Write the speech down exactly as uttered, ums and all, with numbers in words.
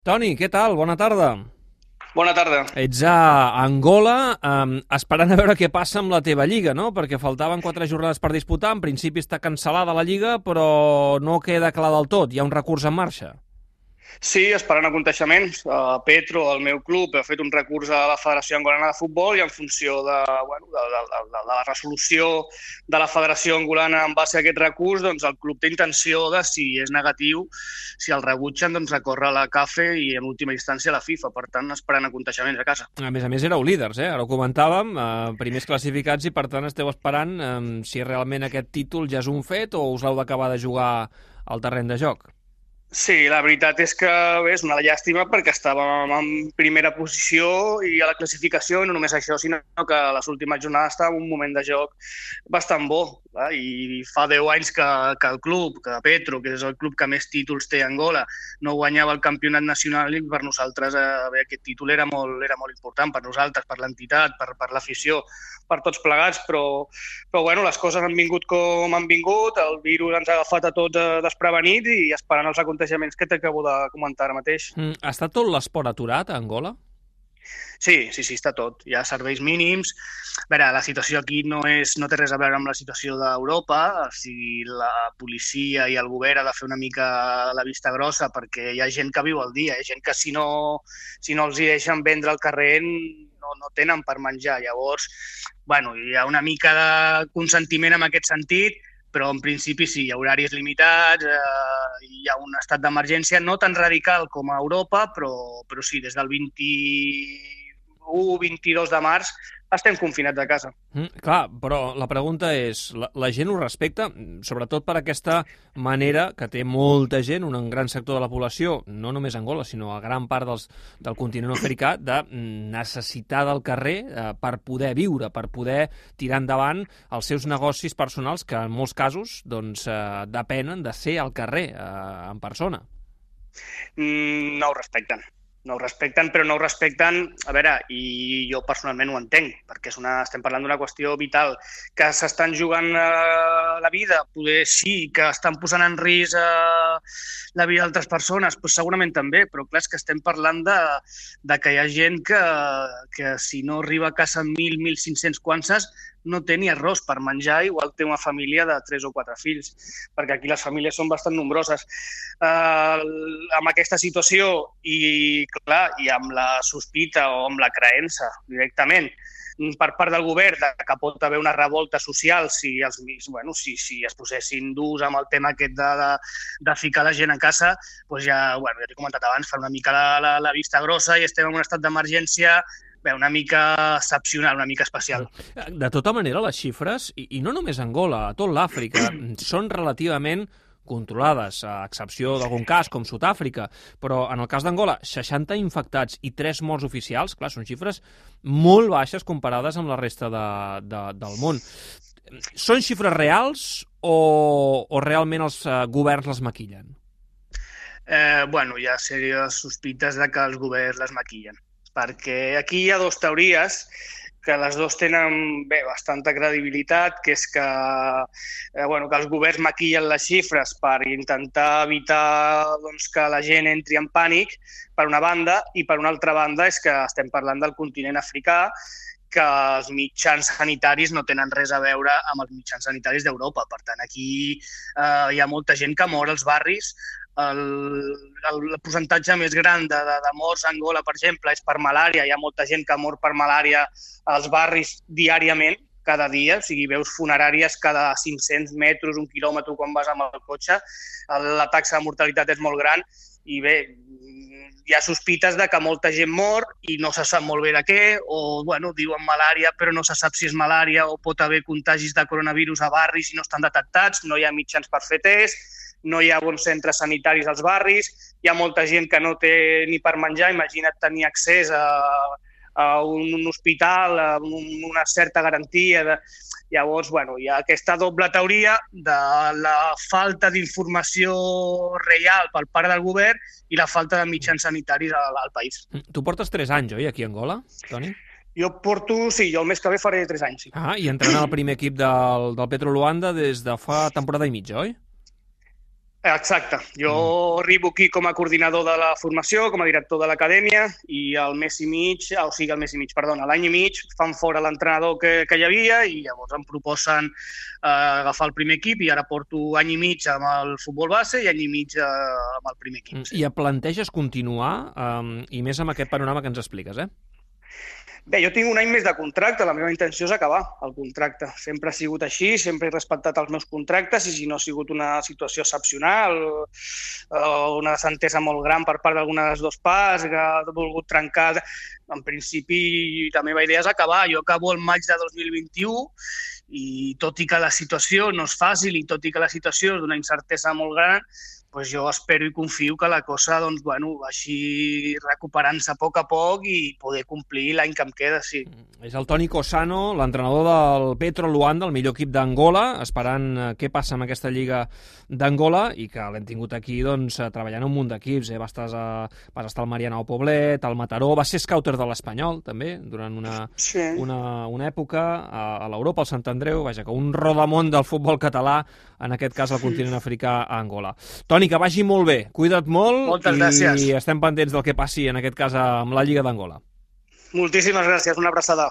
Toni, què tal? Bona tarda. Bona tarda. Ets a Angola, eh, esperant a veure què passa amb la teva lliga, no? Perquè faltaven quatre jornades per disputar, en principi està cancel·lada la lliga, però no queda clar del tot, hi ha un recurs en marxa. Sí, esperant aconteixements. Uh, Petro, el meu club, ha fet un recurs a la Federació Angolana de Futbol i en funció de, bueno, de, de, de, de la resolució de la Federació Angolana en base a aquest recurs, doncs el club té intenció de, si és negatiu, si el rebutgen, doncs recórrer a la CAFE i en última instància a la FIFA. Per tant, esperant aconteixements a casa. A més a més, éreu líders, eh? Ara ho comentàvem, eh, primers classificats i per tant esteu esperant eh, si realment aquest títol ja és un fet o us l'heu d'acabar de jugar al terreny de joc. Sí, la veritat és que bé, és una llàstima perquè estàvem en primera posició i a la classificació, i no només això, sinó que a les últimes jornades estava en un moment de joc bastant bo. Clar? I fa deu anys que, que el club, que Petro, que és el club que més títols té a Angola, no guanyava el campionat nacional i per nosaltres eh, bé, aquest títol era molt, era molt important per nosaltres, per l'entitat, per, per l'afició, per tots plegats, però, però bueno, les coses han vingut com han vingut, el virus ens ha agafat a tots eh, desprevenits i esperant els aconteixements que t'acabo de comentar ara mateix. Mm, està tot l'esport aturat a Angola? Sí, sí, sí, està tot. Hi ha serveis mínims. A veure, la situació aquí no, és, no té res a veure amb la situació d'Europa. O sigui, la policia i el govern ha de fer una mica la vista grossa perquè hi ha gent que viu al dia. Hi ha gent que si no, si no els hi deixen vendre al carrer no, no tenen per menjar. Llavors, bueno, hi ha una mica de consentiment en aquest sentit, però en principi sí, hi ha horaris limitats, eh, hi ha un estat d'emergència no tan radical com a Europa, però, però sí, des del vint-i-u vint-i-dos de març estem confinats a casa. Mm, clar, però la pregunta és, la, la gent ho respecta, sobretot per aquesta manera que té molta gent, un gran sector de la població, no només a Angola, sinó a gran part dels, del continent africà, de necessitar del carrer eh, per poder viure, per poder tirar endavant els seus negocis personals, que en molts casos doncs, eh, depenen de ser al carrer, eh, en persona. Mm, no ho respecten. No ho respecten, però no ho respecten, a veure, i jo personalment ho entenc, perquè és una, estem parlant d'una qüestió vital, que s'estan jugant eh, la vida, poder sí, que estan posant en risc eh, la vida d'altres persones, doncs segurament també, però clar, és que estem parlant de, de que hi ha gent que, que si no arriba a casa amb mil, mil cinc-cents quances, no té ni arròs per menjar, igual té una família de tres o quatre fills, perquè aquí les famílies són bastant nombroses. Uh, amb aquesta situació i, clar, i amb la sospita o amb la creença directament per part del govern de que pot haver una revolta social si, els, bueno, si, si es posessin durs amb el tema aquest de, de, de ficar la gent a casa, doncs ja, bueno, ja t'he comentat abans, fa una mica la, la, la vista grossa i estem en un estat d'emergència bé, una mica excepcional, una mica especial. De tota manera, les xifres, i, i no només a Angola, a tot l'Àfrica, són relativament controlades, a excepció d'algun cas, com Sud-àfrica, però en el cas d'Angola, seixanta infectats i tres morts oficials, clar, són xifres molt baixes comparades amb la resta de, de, del món. Són xifres reals o, o realment els uh, governs les maquillen? Eh, bueno, hi ha sèries sospites de que els governs les maquillen, perquè aquí hi ha dues teories que les dues tenen bé, bastanta credibilitat, que és que, eh, bueno, que els governs maquillen les xifres per intentar evitar doncs, que la gent entri en pànic, per una banda, i per una altra banda és que estem parlant del continent africà, que els mitjans sanitaris no tenen res a veure amb els mitjans sanitaris d'Europa. Per tant, aquí eh, hi ha molta gent que mor als barris. El, el, el percentatge més gran de, de, de morts a Angola, per exemple, és per malària. Hi ha molta gent que mor per malària als barris diàriament, cada dia, o sigui, veus funeràries cada cinc-cents metres, un quilòmetre quan vas amb el cotxe. La taxa de mortalitat és molt gran i bé, hi ha sospites de que molta gent mor i no se sap molt bé de què, o bueno, diuen malària però no se sap si és malària, o pot haver contagis de coronavirus a barris i no estan detectats, no hi ha mitjans per fer test, no hi ha bons centres sanitaris als barris, hi ha molta gent que no té ni per menjar, imagina't tenir accés a, a un hospital, a una certa garantia. De... Llavors, bueno, hi ha aquesta doble teoria de la falta d'informació real per part del govern i la falta de mitjans sanitaris al, al país. Tu portes tres anys, oi, aquí a Angola, Toni? Jo porto, sí, jo el mes que ve faré tres anys, sí. Ah, i entrenant al primer equip del, del Petro Luanda des de fa temporada i mitja, oi? Exacte. Jo mm. arribo aquí com a coordinador de la formació, com a director de l'acadèmia, i al mes i mig, o sigui, al mes i mig, perdona, l'any i mig, fan fora l'entrenador que, que hi havia i llavors em proposen eh, agafar el primer equip i ara porto any i mig amb el futbol base i any i mig eh, amb el primer equip. Sí. I et planteges continuar, um, i més amb aquest panorama que ens expliques, eh? Bé, jo tinc un any més de contracte, la meva intenció és acabar el contracte. Sempre ha sigut així, sempre he respectat els meus contractes i si no ha sigut una situació excepcional o una desentesa molt gran per part d'alguna de les dues parts que ha volgut trencar, en principi la meva idea és acabar. Jo acabo el maig de dos mil vint-i-u i tot i que la situació no és fàcil i tot i que la situació és d'una incertesa molt gran, pues jo espero i confio que la cosa doncs, bueno, vagi recuperant-se a poc a poc i poder complir l'any que em queda, sí. És el Toni Cossano, l'entrenador del Petro Luanda, el millor equip d'Angola, esperant què passa amb aquesta lliga d'Angola i que l'hem tingut aquí doncs, treballant un munt d'equips. Eh? Vas, estar, vas estar al Marianao Poblet, al Mataró, va ser scouter de l'Espanyol, també, durant una, sí. una, una època, a, a l'Europa, al Sant Andreu, vaja, que un rodamont del futbol català, en aquest cas al continent africà, a Angola. Toni, que vagi molt bé, cuida't molt. Moltes gràcies. I estem pendents del que passi, en aquest cas, amb la Lliga d'Angola. Moltíssimes gràcies, una abraçada.